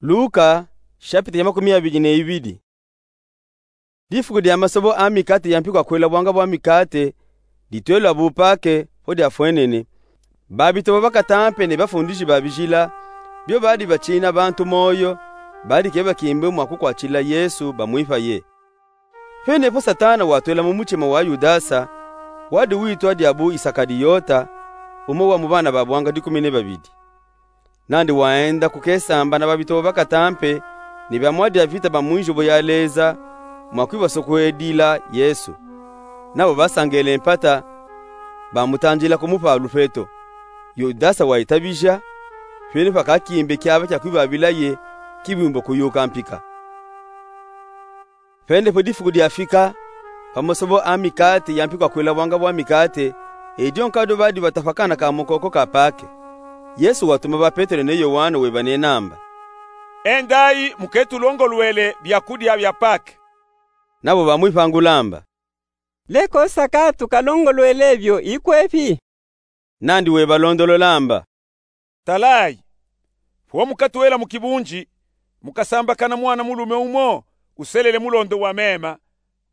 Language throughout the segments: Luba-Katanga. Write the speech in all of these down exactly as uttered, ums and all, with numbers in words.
Luka, shapitulu ya makumi abidi na ibidi. Difuku dia masobo a mikate ya mpikwa kwelabwanga bwa mikate, ditwelwa bu Pake, po diafwenene, babitobo bakatampe ne bafundiji ba bijila, bio badi bacina bantu moyo, badike bakimbi mwa kukwatila Yesu bamwipaye. Pene po Satana watwela mu mutima wa Yudasa, wadi witwa diabu Isakaliyota, umue wa mu bana babwanga dikumi ne babidi. Nandi waenda kukesamba na babitobo bakatampe, ne bamwadi a vita ba mu nzibo ya Leza, mwa kwiba so kwedila Yesu. Nabo basangele mpata, bamutandila kumupa lupeto. Yudasa wayitabija, pene po kakimbi kiaba kia kwibabilaye, kibimbo kuyuka mpika. Pene po difuku diafika, pa masobo a mikate ya mpikwa kwelabwanga bwa mikate, e dio nkado badi bata pa kana ka mukoko ka Pake. Yesu watuma ba Petelo ne Yowane weba ne namba: Endayi muketulongolwele byakudia bya Pake. Nabo bamwipangula amba: Leko saka tukalongolwele byo ikwepi? Nandi webalondolola amba: Talayi, po mukatwela mu kibunji, mukasambakana mwana mulume umo uselele mulondo wa mema,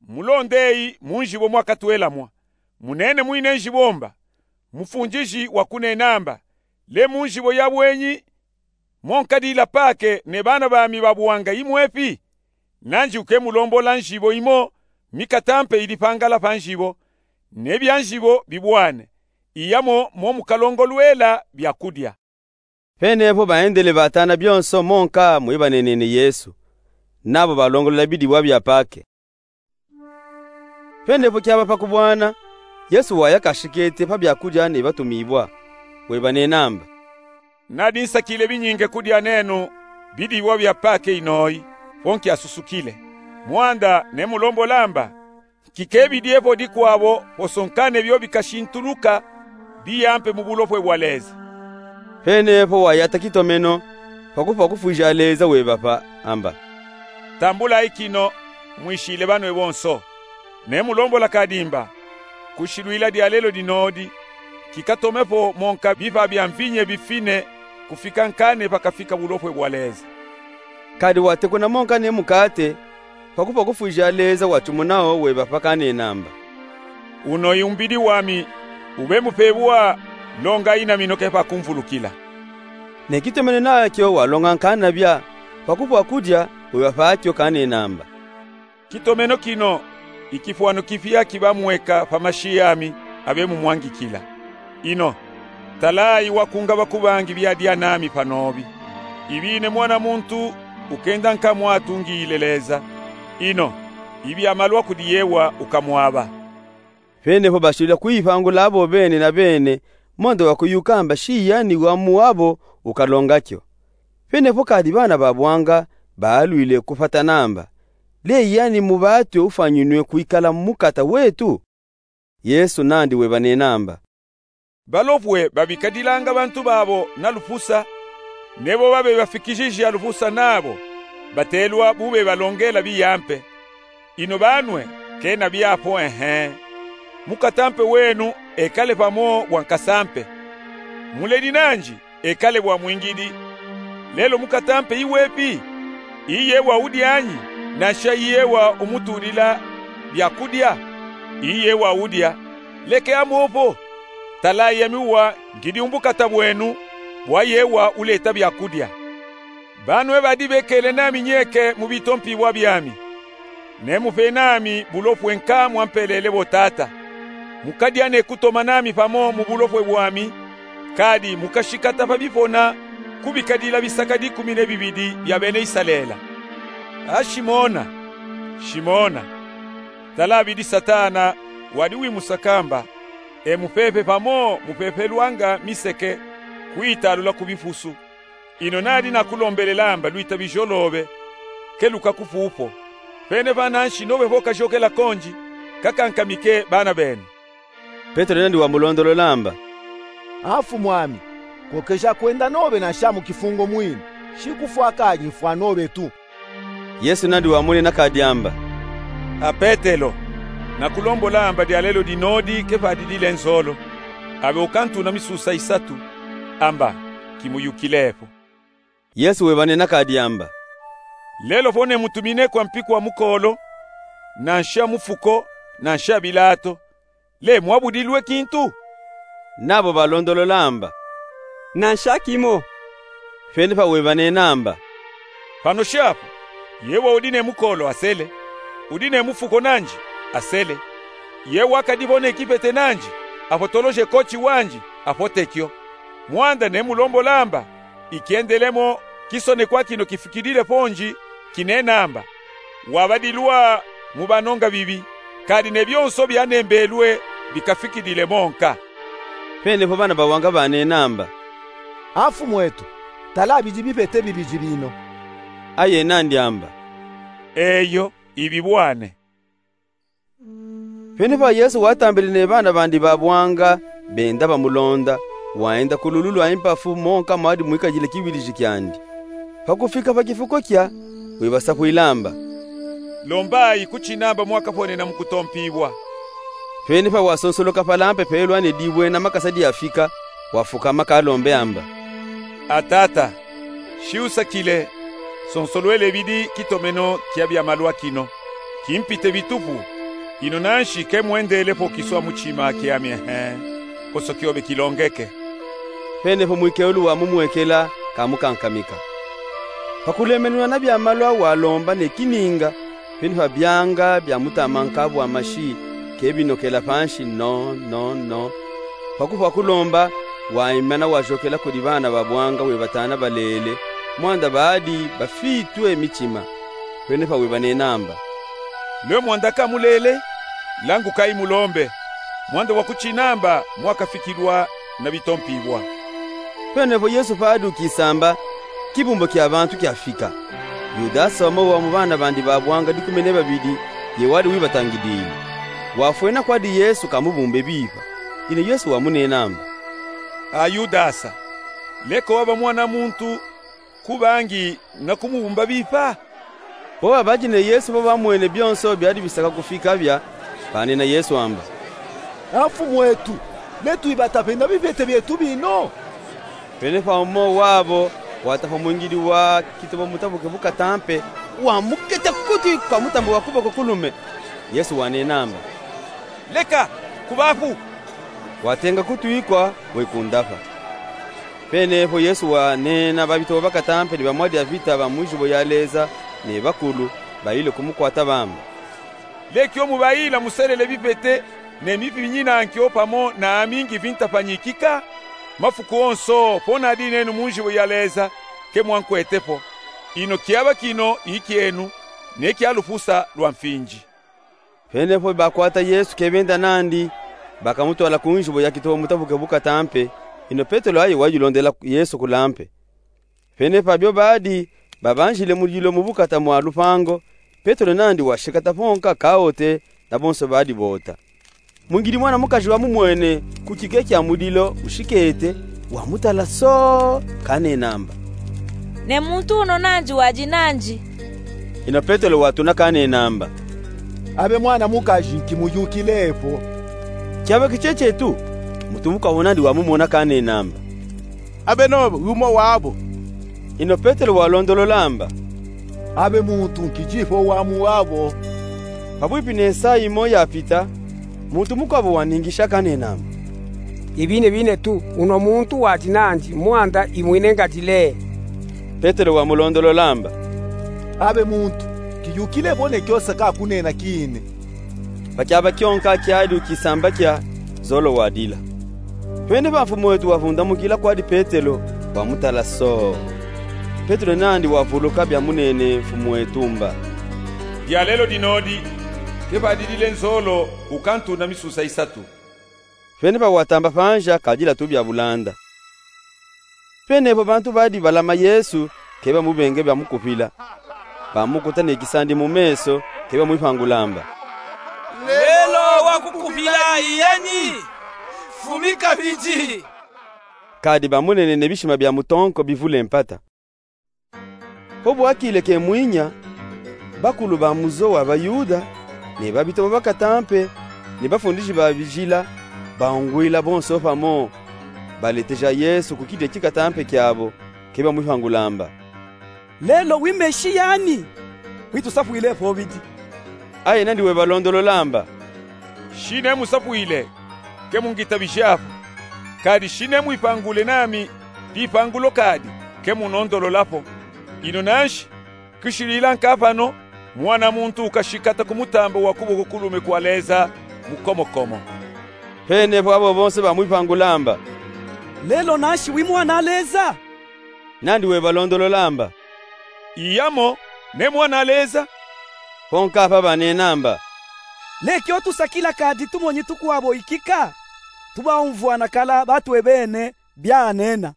mulondeyi mu nzibo mwakatwela mwa. Munene mwine nzibo mba: Mufundiji wakunena amba, le mu nzibo ya bwenyi monkadila Pake ne bana bami babwanga imwepi? Nandi ukemulombola nzibo imo mikatampe idi pangala pa nzibo, ne bya nzibo bibwane, iya mo momukalongolwela byakudia. Pene po baendele batana byonso monka mwebanenene Yesu, nabo balongolola bidiwa bya Pake. Pene po kyaba pa kubwana, Yesu waya kashikete pa byakudia ne batumibwa, weba ne namba: Nadi nsakile binyinge kudia nenu bidiwa bya Pake inoyi, po nkyasusukile. Mwanda nemulombola amba: Nkikebidye po dikwabo po so nkane byo bikashintuluka biyampe mu bulopwe bwa Leza. Pene po wayata kitomeno, pa kupwa kufwija Leza webapa amba: Tambulayi kino, mwishile banwe bonso. Nemulombola kadi mba: Kushilwila dyalelo dinodi, kikatome po monka bipa bya mvinye bifine kufika nkane pakafika bulopwe bwa Leza. Kadi watekuna monka ne mukate, pa kupwa kufwija Leza wacumunawo webapa kanena amba: Unoyi umbidi wami, ube mupebwa, longayi na mino ke pa kumvulukila. Ne kitomeno nakyo walonga nkanabya, pa kupwa kudya, webapa kyo kanena amba: Kitomeno kino ikifwano kipya kiba mweka pa mashi ami abe mumwangikila. Ino, talayi wakungaba ku bangi byadya nami panobi. Ibi ine Mwana muntu ukenda nkamwatungile Leza. Ino, ibi amalwa kudi yewa ukamwaba. Pene po bashilila kwipangula abo bene na bene, mondo wakuyuka amba shiyani wa muwabo ukalonga kyo. Pene po kadi bana babwanga balwile kupata namba: Le yani mubatwe ufwanyinwe kwikala mukata wetu? Yesu nandi weba ne namba: Balopwe babikadilanga bantu babo na lupusa, nebo babe bafikishija lupusa nabo, batelwa bube balongela biyampe. Ino banwe, kena byapo, ehe. Mukatampe wenu ekale pamo bwa nkasampe. Muledi nanji ekale bwa mwingidi. Lelo mukatampe iwepi? Iye wa udyanyi, nansha iye wa umutulila byakudya? Iye wa udya. Leke amopo. Talayi ami uwa ngidi umbukata bwenu, bwa yewa uleta byakudya. Banwe badi bekele nami nyeke mu bitompibwa byami, nemupe nami bulopwe nka mwampelele bo Tata. Mukadya ne kutoma nami pamo mu bulopwe bwami, kadi mukashikata pa bipona kubikadila bisaka dikumi ne bibidi bya bene Isalela. A Shimona, Shimona, tala bidi Satana wadi wimusa kamba, e mupepe pamo mupepelwanga miseke kuyitalula ku bipusu. Ino nadi nakulombelela amba lwita bijolobe, keluka kupupo. Pene pananshi nobe pokajokela konji, kakankamike bana benu. Petelo nandi wamulondolola amba: A Mfumwami, kokeja kwenda nobe nansha mu kifungo mwini, shi kufwa kadi nfwa nobe tu. Yesu nandi wamunina kadi amba: A Petelo, nakulombola amba dyalelo dinodi kepadi dile nzolo, abe ukantuna misusa isatu, amba kimuyukilepo. Yesu webanena kadi amba: Lelo vo nemutumine kwa mpiku a mukoolo, nanshi a mufuko, nanshi a bilato, le mwabudilwe kintu? Nabo balondolola amba: Nanshi a kimo. Fene fa webanena amba: Panoshi apo, ye wa udi ne mukoolo asele, udi ne mufuko nandi asele, ye wa kadi vo ne kipete nandi, afotoloje koti wandi, afote kyo. Mwanda nemulombole amba, ikiendelemo kisonekwa kino kifikidile pondi, kinena amba: Wabadilwa mu banonga bibi, kadi ne byonso byanembelwe bikafikidile monka. Fene fo bana bawanga banena amba: A Mfumwetu, tala abidi bipete bibidi bino. Aye nandi amba: Eyo, ibibwane. Fene fa Yesu watambile ne bana bandi babwanga benda bamulonda, waenda ku lulu lwa impafu monka mwadi mwikadile kiwiliji kyandi. Pakufika pa kifuko kya, wibasapwila amba: Lombayi kuti namba mwakaponena mu kutompibwa. Fene fa wasonsoloka palampe pelwa ne dibwena makasa dyafika, wafukama kalombe amba: A Tata, shi usakile, sonsolwele bidi kitomeno kya byamalwa kino. Kimpite bitupu, ino nanshi kemwendele po kiswa mutima kyami ehe, koso kyobe kilongeke. Fene fo mwikelu wamumwekela, kamukankamika. Pakulemenwa na byamalwa walomba ne kininga, fene fa byanga byamutama nkabwa mashi, kebinokela panshi no, no, no. Pakufwa kulomba, waimana wajokela kudi bana babwanga webatana balele, mwanda badi bafitwe mitima. Fene fa webanena amba: Lwe mwanda kamulele, langukayi mulombe, mwanda wa kuti namba mwakafikilwa na bitompibwa. Fene fo Yesu padi ukisamba, kibumbo kya bantu kyafika. Yudasa umo wa mu bana bandi babwanga dikumi ne babidi, ye wadi wibatangidile. Wafwena kwadi Yesu kamubumbe bipa. Ino Yesu wamunena amba: A Yudasa, leka waba mwana muntu, kubangi na kumubumba bipa? Po babadi ne Yesu bo bamwene byonso byadi bisaka kufika bya, banena Yesu amba: A Mfumwetu, le twibata pe na bipete byetu bino? Fene fa umo wabo wata fo mwingidi wa kitobo mutabuke bukatampe, wamuketa kutwi kwa mutambu wa kuboko kulume. Yesu wanena amba: Leka, kubafu. Watenga kutwi kwa, wekundafa. Fene fo Yesu wanena babitobo bakatampe ne bamwadi a vita ba mu nzibo ya Leza ne bakulu, bayile kumukwata bamba: Lekyo mubayila muselele bipete ne mipinyi na nkyo pamo na ami ngivi ntapanyikika? Mafuku onso po nadi nenu mu nzibo ya Leza, kemwankwete po. Ino kyaba kino ikyenu, ne kya lufusa lwa mfinzi. Fene fo bakwata Yesu kebenda nandi, bakamutwala ku nzibo ya kitobo mutabuke bukatampe, ino Petelo aye wayilondela Yesu kulampe. Fene fabyo badi babanzile mu dilo mu bukata mwa lupango, Petelo nandi washikata fonka kaote, na bonso badi bota. Mwingidi mwana mukazi wamumwene ku kike kya mu dilo ushikete, wamutala soo, kanena amba: Ne muntu uno nandi wadi nandi. Ino Petelo watuna kanena amba: Abe mwana mukazi, nkimuyukile po. Kyabaki kyekyetu, muntu mukwawu nandi wamumona kanena amba: Abe nobe umo wabo. Ino Petelo walondolola amba: Abe muntu, nkidi po wa mu wabo. Pabwipi ne saa imo yapita, muntu mukwabo waningisha kanena amba: Ibine bine tu, uno muntu wadi nandi, mwanda imwine ngati le. Petelo wamulondolola amba: Abe muntu, nkiyukile po ne kyosa kakunena kine. Pa kyaba kyonka kyadi ukisamba kya, zolo wadila. Fene fa Mfumwetu wavundamukila kwadi Petelo, wamutala soo. Petelo nandi wavuluka byamunene Mfumwetu mba: Dyalelo dinodi, kepadi dile nzolo, ukantuna misusa isatu. Fene fa watamba panza kadila tu bya bulanda. Fene fo bantu badi balama Yesu, kebamubenge byamukupila. Bamukuta ne kisandi mu meso, kebamwipangula amba: Lelo wakukupila iyanyi? Fumi kabidi. Kadi bamunene ne bishima bya mutonko bivule mpata. Po bwakile kemwinya, bakulu ba muzo wa Bayuda, ne babitobo bakatampe, ne bafundisi ba bizila, baungwila bonso pamo, baleteja Yesu ku kide kikatampe kyabo, kebamwipangula amba: Lelo wi Mesiya ni? Wi tusapwile fwobidi. Aye nandi webalondolola amba: Shi nemusapwile, ke mungitabijapo. Kadi shi nemwipangule nami pipangulo kadi, ke munondololapo. Ino nanshi, kishilila nka pano, Mwana muntu ukashikata ku mutamba wa kuboko kulume kwa Leza mukomokomo. Penepo abo bonse bamwipangula amba: Lelo nanshi wi Mwan'a Leza? Nandi webalondolola amba: Iyamo, ne Mwan'a Leza. Ponka pa banena amba: Leki otusakila kadi tumonyi tukwabo ikika, tubaumvwa nakala batwebene byanena.